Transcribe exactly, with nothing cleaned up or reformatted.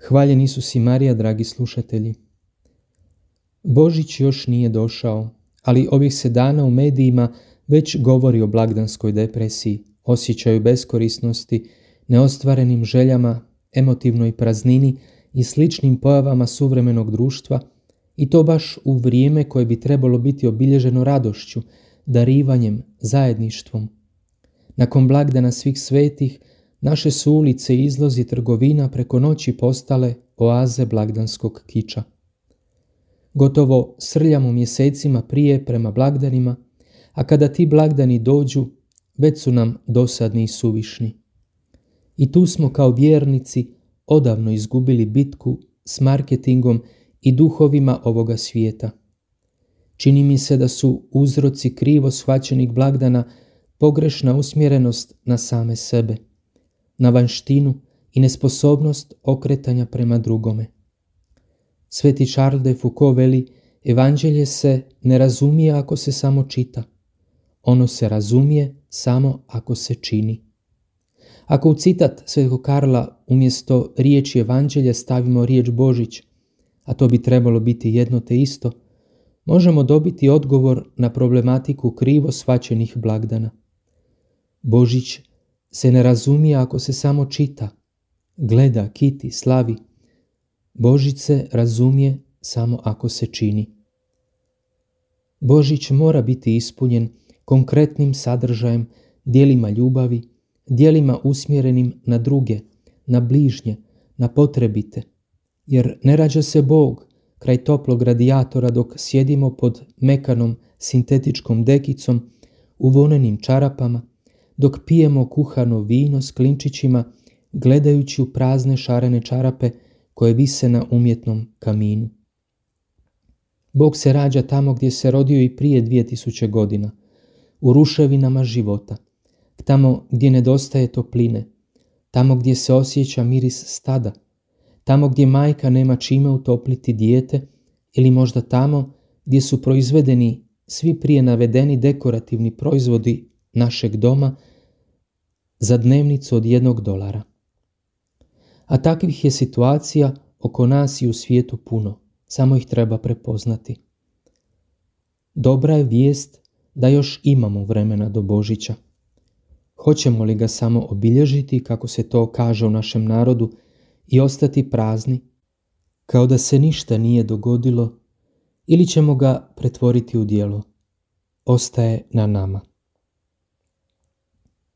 Hvaljen Isus i Marija, dragi slušatelji. Božić još nije došao, ali ovih se dana u medijima već govori o blagdanskoj depresiji, osjećaju beskorisnosti, neostvarenim željama, emotivnoj praznini i sličnim pojavama suvremenog društva, i to baš u vrijeme koje bi trebalo biti obilježeno radošću, darivanjem, zajedništvom. Nakon blagdana svih svetih, naše su ulice i izlozi trgovina preko noći postale oaze blagdanskog kiča. Gotovo srljamo mjesecima prije prema blagdanima, a kada ti blagdani dođu, već su nam dosadni i suvišni. I tu smo kao vjernici odavno izgubili bitku s marketingom i duhovima ovoga svijeta. Čini mi se da su uzroci krivo shvaćenih blagdana pogrešna usmjerenost na same sebe, na vanštinu i nesposobnost okretanja prema drugome. Sveti Charles de Foucault veli, evanđelje se ne razumije ako se samo čita. Ono se razumije samo ako se čini. Ako u citat Svetog Karla umjesto riječi evanđelje stavimo riječ Božić, a to bi trebalo biti jedno te isto, možemo dobiti odgovor na problematiku krivo shvaćenih blagdana. Božić se ne razumije ako se samo čita, gleda, kiti, slavi. Božić se razumije samo ako se čini. Božić mora biti ispunjen konkretnim sadržajem, djelima ljubavi, djelima usmjerenim na druge, na bližnje, na potrebite, jer ne rađa se Bog kraj toplog radijatora dok sjedimo pod mekanom sintetičkom dekicom u vonenim čarapama, dok pijemo kuhano vino s klinčićima, gledajući u prazne šarene čarape koje vise na umjetnom kaminu. Bog se rađa tamo gdje se rodio i prije dvije tisuće godina, u ruševinama života, tamo gdje nedostaje topline, tamo gdje se osjeća miris stada, tamo gdje majka nema čime utopliti dijete ili možda tamo gdje su proizvedeni svi prije navedeni dekorativni proizvodi našeg doma za dnevnicu od jednog dolara. A takvih je situacija oko nas i u svijetu puno, samo ih treba prepoznati. Dobra je vijest da još imamo vremena do Božića. Hoćemo li ga samo obilježiti, kako se to kaže u našem narodu, i ostati prazni, kao da se ništa nije dogodilo, ili ćemo ga pretvoriti u djelo? Ostaje na nama.